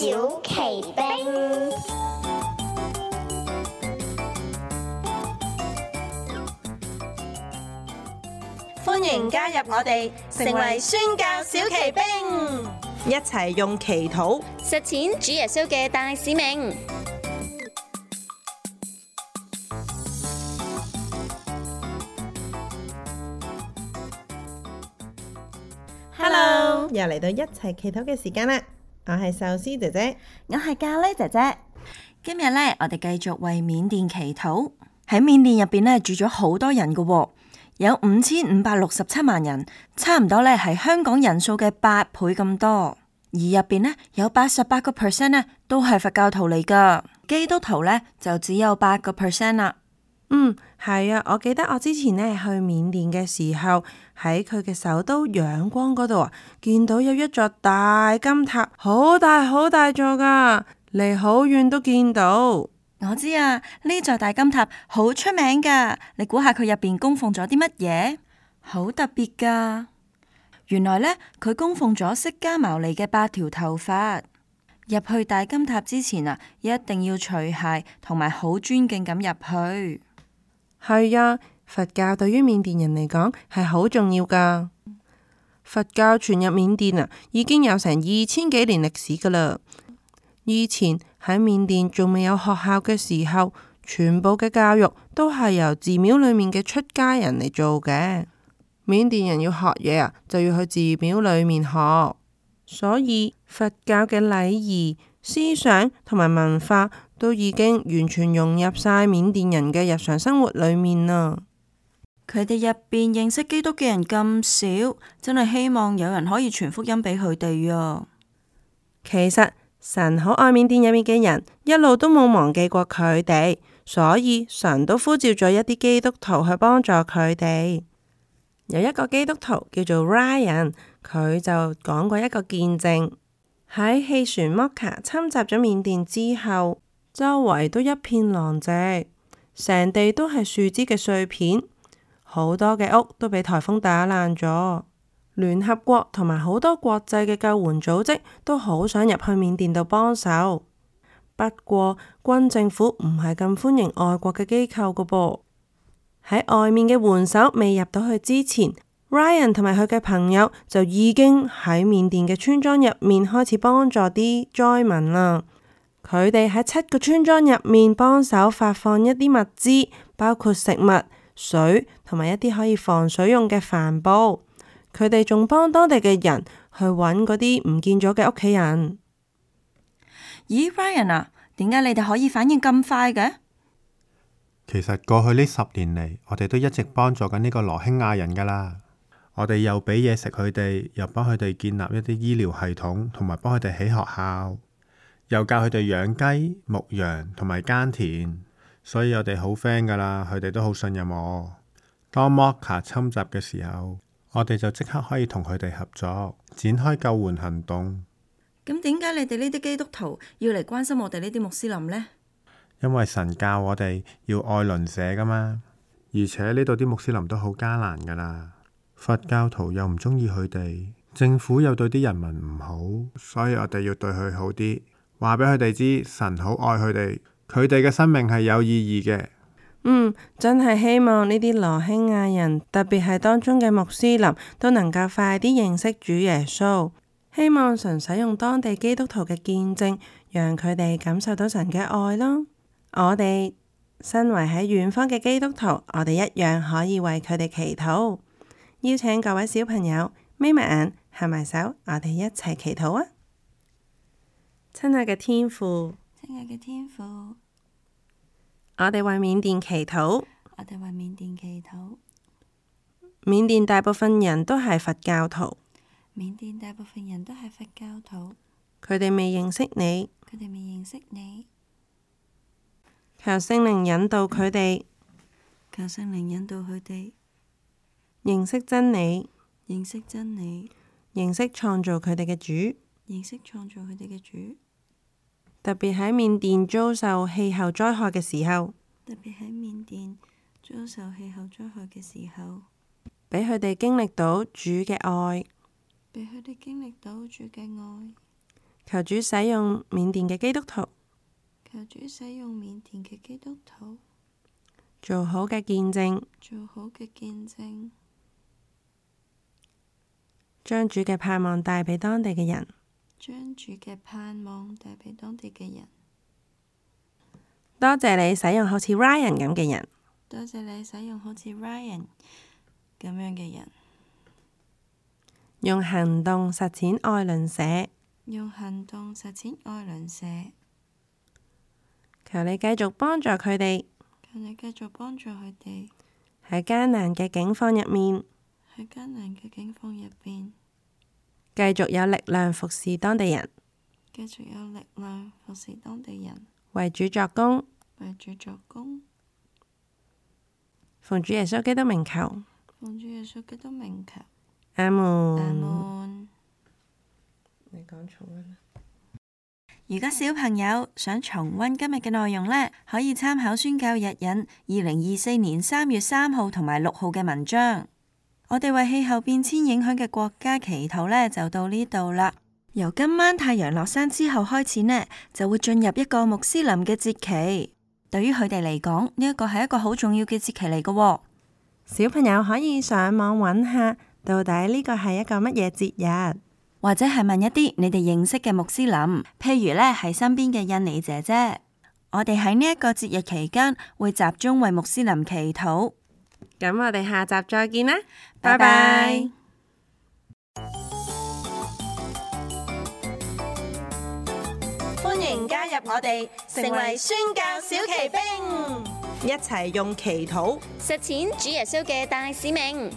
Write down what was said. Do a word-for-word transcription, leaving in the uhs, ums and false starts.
小奇兵。歡迎加入我哋，成為宣教小奇兵，一齊用祈禱實踐主耶穌嘅大使命。Hello，又嚟到一齊祈禱嘅時間啦！我係壽司姐姐，我係咖喱姐姐。今日咧，我哋繼續為緬甸祈禱。喺緬甸入邊咧，住咗好多人噶喎。有五千五百六十七萬人，差唔多咧係香港人數嘅八倍咁多。而入邊呢，有八十八個 percent 咧都係佛教徒嚟噶，基督徒咧就只有八個 percent 啦。嗯，係啊，我記得我之前呢去緬甸嘅時候，喺佢嘅首都仰光嗰度啊，見到有一座大金塔，好大好大座噶，離好遠都見到。我知啊，呢座大金塔好出名噶，你估下佢入邊供奉咗啲乜嘢？好特別噶，原來呢，佢供奉咗釋迦牟尼嘅八條頭髮。入去大金塔之前啊，一定要除鞋，同埋好尊敬咁入去。係啊，佛教對於緬甸人嚟講係好重要噶。佛教傳入緬甸啊，已經有成二千幾年歷史噶啦。以前喺緬甸仲未有學校嘅時候，全部嘅教育都係由寺廟裏面嘅出家人嚟做嘅。緬甸人要學嘢啊，就要去寺廟裏面學，所以佛教嘅禮儀、思想同埋文化都已經完全融入晒緬甸人嘅日常生活裏面啦。佢哋入邊認識基督嘅人咁少，真係希望有人可以傳福音俾佢哋啊。其實神好愛緬甸入面嘅人，一路都冇忘記過佢哋，所以神都呼召咗一啲基督徒去幫助佢哋。有一個基督徒叫做 Ryan， 佢就講過一個見證。喺氣船 Mocha 侵襲咗緬甸之後，周圍都一片狼藉，成地都係樹枝嘅碎片，好多嘅屋都俾颱風打爛咗。聯合國同埋好多國際嘅救援組織都好想入去緬甸度幫手，不過軍政府唔係咁歡迎外國嘅機構噶噃。喺外面嘅援手未入到去之前， Ryan 同埋佢嘅朋友就已經喺緬甸嘅村莊入面開始幫助啲災民啦。佢哋喺七個村莊入面幫手發放一啲物資，包括食物、水同埋一啲可以防水用嘅帆布。佢哋仲幫當地嘅人去揾嗰啲唔見咗嘅屋企人。咦 Ryan 啊，點解你哋可以反應咁快嘅？其實過去呢十年嚟，我哋都一直幫助緊呢個羅興亞人噶啦。我哋又俾嘢食佢哋，又幫佢哋建立一啲醫療系統，同埋幫佢哋起學校，又教佢哋養雞、牧羊同埋耕田。所以我哋好 friend 噶啦，佢哋都好信任我。當 Mocha 侵襲嘅時候，我哋就即刻可以同佢哋合作，展開救援行動。咁點解你哋呢啲基督徒要嚟關心我哋呢啲穆斯林呢？因為神教我哋要愛鄰舍噶嘛，而且呢度啲穆斯林都好艱難噶啦，佛教徒又唔中意佢哋，政府又對啲人民唔好，所以我哋要對佢好啲，話俾佢哋知神好愛佢哋，佢哋嘅生命係有意義嘅。嗯，真係希望呢啲羅興亞人，特別係當中嘅穆斯林，都能夠快啲認識主耶穌。希望神使用當地基督徒嘅見證，讓佢哋感受到神嘅愛咯。我哋身為喺遠方嘅基督徒，我哋一樣可以為佢哋祈禱。邀請各位小朋友眯埋眼，合埋手，我哋一齊祈禱啊！親愛嘅天父，親愛嘅天父，我哋為緬甸祈禱。我哋為緬甸祈禱。緬甸大部分人都係佛教徒，緬甸大部分人都係佛教徒，佢哋未認識你，佢哋未認識你。求聖靈引導佢哋，求聖靈引導佢哋認識真理，認識真理，認識創造佢哋嘅主。認識創造佢哋嘅主。特別喺緬甸遭受氣候災害嘅時候，特別喺緬甸遭受氣候災害嘅時候，俾佢哋經歷到主嘅愛，俾佢哋經歷到主嘅愛，求主使用緬甸嘅基督徒，求主使用緬甸嘅基督徒，做好嘅見證，做好嘅見證，將主嘅盼望帶俾當地嘅人。將主嘅盼望帶俾當地嘅人。多謝你使用好似 Ryan 咁嘅人，多謝你使用好似 Ryan 咁樣嘅人，用行動實踐愛鄰舍。用行動實踐愛鄰舍。求你繼續幫助佢哋，求你繼續幫助佢哋喺艱難嘅境況入面，喺艱難嘅境況入邊，繼續有力量服侍當地人，繼續有力量服侍當地人，為主作工，為主作工。奉主耶穌基督名求，奉主耶穌基督名求。阿門。阿門。你講重溫啦。如果小朋友想重溫今日嘅內容呢，可以參考宣教日引二零二四年三月三號同埋六號嘅文章。我哋為氣候變遷影響嘅國家祈禱呢，就到呢度啦。由今晚太陽落山之後開始呢，就會進入一個穆斯林嘅節期。對於佢哋嚟講，呢一個係一個好重要嘅節期嚟嘅。小朋友可以上網揾下，到底呢個係一個乜嘢節日？或者係問一啲你哋認識嘅穆斯林，譬如呢係身邊嘅印尼姐姐。我哋喺呢一個節日期間會集中為穆斯林祈禱。咁我哋下集再見啦，拜拜。歡迎加入我哋，成為宣教小騎兵，一齊用祈禱實踐主耶穌嘅大使命。